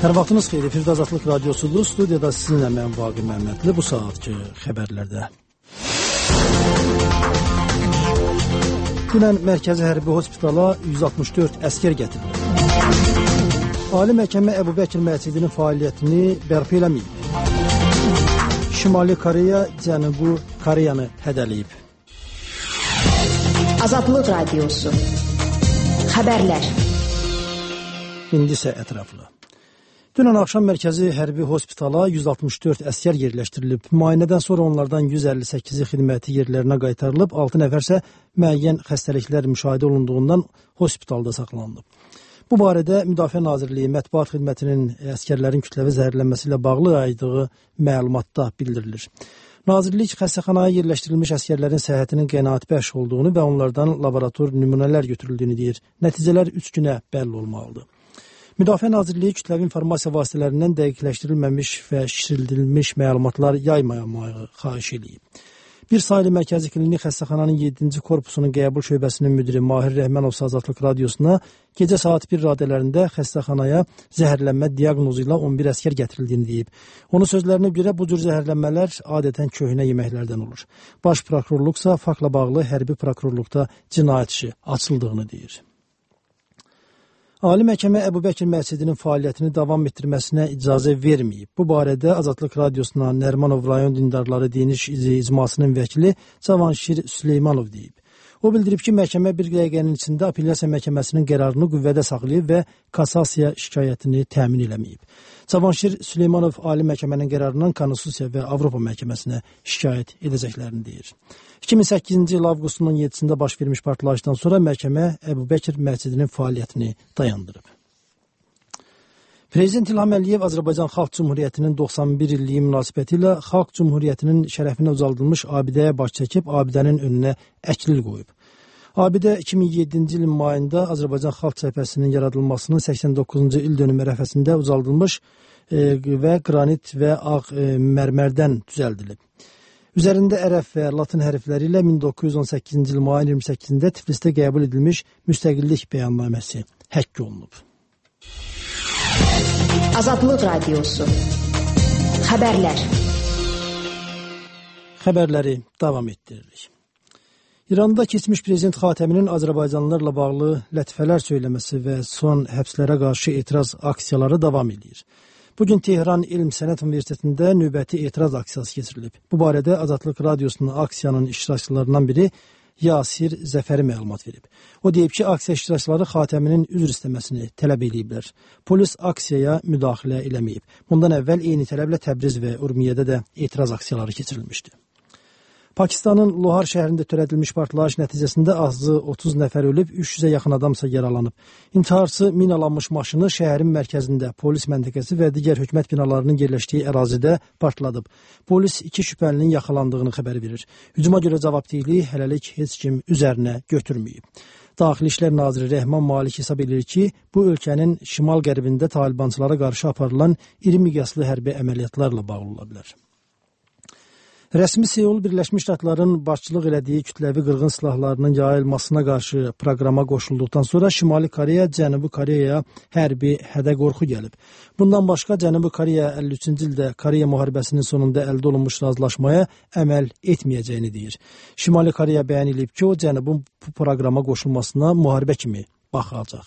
Hər vaxtınız xeyir. Efirdə Azadlıq Radiosudur. Studiyada sizinlə mən Vaqif Məmmədli. Bu saatki xəbərlərdə. Dünən Mərkəzi Hərbi Hospitala 164 əskər gətirildi. Ali Məhkəmə Əbu Bəkir məscidinin fəaliyyətini bərpa eləməyib. Şimali Koreya Cənubi Koreyanı hədələyib. Azadlıq Radiosu. Xəbərlər. İndi isə ətraflı. Dünən axşam Mərkəzi Hərbi Hospitala 164 əskər yerləşdirilib. Müayinədən sonra onlardan 158-i xidməti yerlərinə qaytarılıb, 6 nəfər isə müəyyən xəstəliklər müşahidə olunduğundan hospitalda saxlanılıb. Bu barədə Müdafiə Nazirliyi Mətbuat Xidmətinin əskərlərin kütləvi zəhərlənməsi ilə bağlı yaydığı məlumatda bildirilir. Nazirlik xəstəxanaya yerləşdirilmiş əskərlərin səhhətinin qənaətbəxş olduğunu və onlardan laborator nümunələr götürüldüyünü deyir. Nəticələr 3 günə bəlli olmalıdır. Müdafiə Nazirliyi kütləvi informasiya vasitələrindən dəqiqləşdirilməmiş və şişirdilmiş məlumatlar yaymamağı xahiş edib. Bir sayılı Mərkəzi Klinik Xəstəxananın 7-ci korpusunun qəbul şöbəsinin müdiri Mahir Rəhmanov Azadlıq Radiosuna gecə saat 1 radələrində xəstəxanaya zəhərlənmə diaqnozu ilə 11 əskər gətirildiyini deyib. Onun sözlərinə görə bu cür zəhərlənmələr adətən köhnə yeməklərdən olur. Baş prokurorluqsa faktla bağlı hərbi prokurorluqda cinayət işi açıldığını deyir. Ali Məhkəmə Əbu Bəkir məscidinin fəaliyyətini davam etdirməsinə icazə verməyib. Bu barədə Azadlıq Radiosuna Nərmanov rayon dindarları diniş icmasının vəkili Cavanşir Süleymanov deyib. O bildirib ki, məhkəmə bir dəqiqənin içində apellyasiya məhkəməsinin qərarını qüvvədə saxlayıb və kassasiya şikayətini təmin eləməyib. Cavanşir Süleymanov Ali Məhkəmənin qərarından Konstitusiya və Avropa Məhkəməsinə şikayət edəcəklərini deyir. 2008-ci il avqustun 17-sində baş vermiş partlayışdan sonra məhkəmə Əbu Bəkir məscidinin fəaliyyətini dayandırıb. Prezident İlham Əliyev Azərbaycan Xalq Cümhuriyyətinin 91 illiyi münasibəti ilə Xalq Cümhuriyyətinin şərəfinə ucaldılmış abidəyə baş çəkib, abidənin önünə əklil qoyub. Abidə 2007-ci ilin mayında Azərbaycan Xalq Cəbhəsinin yaradılmasının 89-cu il dönümü ərəfəsində ucaldılmış və qranit və ağ mərmərdən düzəldilib. Üzərində ərəb və latın hərfləri ilə 1918-ci il mayın 28-də Tiflisdə qəbul edilmiş müstəqillik bəyannaməsi həkk olunub. Azadlıq Radiosu. Xəbərlər. Xəbərləri davam etdiririk. İranda keçmiş prezident Xatəminin Azərbaycanlılarla bağlı lətifələr söyləməsi və son həbslərə qarşı etiraz aksiyaları davam edir. Bugün Tehran Elm Sənət Universitetində növbəti etiraz aksiyası keçirilib. Bu barədə Azadlıq Radiosunun aksiyanın iştirakçılarından biri Yasir Zəfəri məlumat verib. O deyib ki, aksiya iştirakçıları Xatəminin üzr istəməsini tələb ediblər. Polis aksiyaya müdaxilə eləməyib. Bundan əvvəl eyni tələblə Təbriz və Urmiyədə də etiraz aksiyaları keçirilmişdi. Pakistanın Lohar şəhərində törədilmiş partlayış nəticəsində azı 30 nəfər ölüb, 300-ə yaxın adamsa yaralanıb. İntiharçı minalanmış maşını şəhərin mərkəzində, polis məntəqəsi və digər hökumət binalarının yerləşdiyi ərazidə partladıb. Polis 2 şübhəlinin yaxalandığını xəbər verir. Hücuma görə cavabdehliyi hələlik heç kim üzərinə götürməyib. Daxili İşlər Naziri Rəhman Malik hesab edir ki, bu ölkənin şimal-qərbində talibançılara qarşı aparılan iri miqyaslı hərbi əməliyyatlarla bağlı ola bilər. Rəsmi Seul Birləşmiş Ştatların başçılıq elədiyi kütləvi qırğın silahlarının yayılmasına qarşı proqrama qoşulduqdan sonra Şimali Koreya Cənubi Koreyaya hərbi hədə-qorxu gəlib. Bundan başqa Cənubi Koreya 53-cü ildə Koreya müharibəsinin sonunda əldə olunmuş razılaşmaya əməl etməyəcəyini deyir. Şimali Koreya bəyan edib ki, o Cənubun bu proqrama qoşulmasına müharibə kimi baxacaq.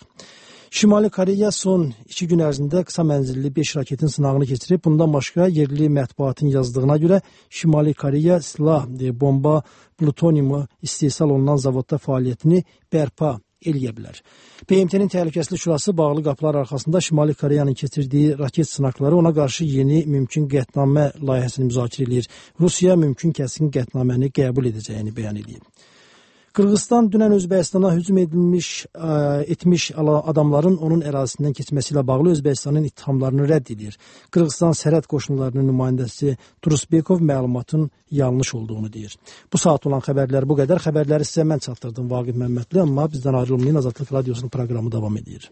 Şimali Koreya son 2 gün ərzində qısa mənzilli 5 raketin sınağını keçirib. Bundan başqa yerli mətbuatın yazdığına görə Şimali Koreya silah, bomba, plutoniumu istehsal olunan zavodda fəaliyyətini bərpa eləyə bilər. BMT-nin Təhlükəsizlik Şurası bağlı qapılar arxasında Şimali Koreyanın keçirdiyi raket sınaqları ona qarşı yeni mümkün qətnamə layihəsini müzakirə edir. Rusiya mümkün kəskin qətnaməni qəbul edəcəyini bəyan edib. Qırğızstan dünən Özbəkistana hücum etmiş adamların onun ərazisindən keçməsi ilə bağlı Özbəkistanın ittihamlarını rədd edir. Qırğızstan sərhəd qoşunlarının nümayəndəsi Turusbekov məlumatın yanlış olduğunu deyir. Bu saat olan xəbərlər bu qədər. Xəbərləri sizə mən çatdırdım Vaqif Məmmədli, amma bizdən ayrılmayın, Azadlıq Radiosunun proqramı davam edir.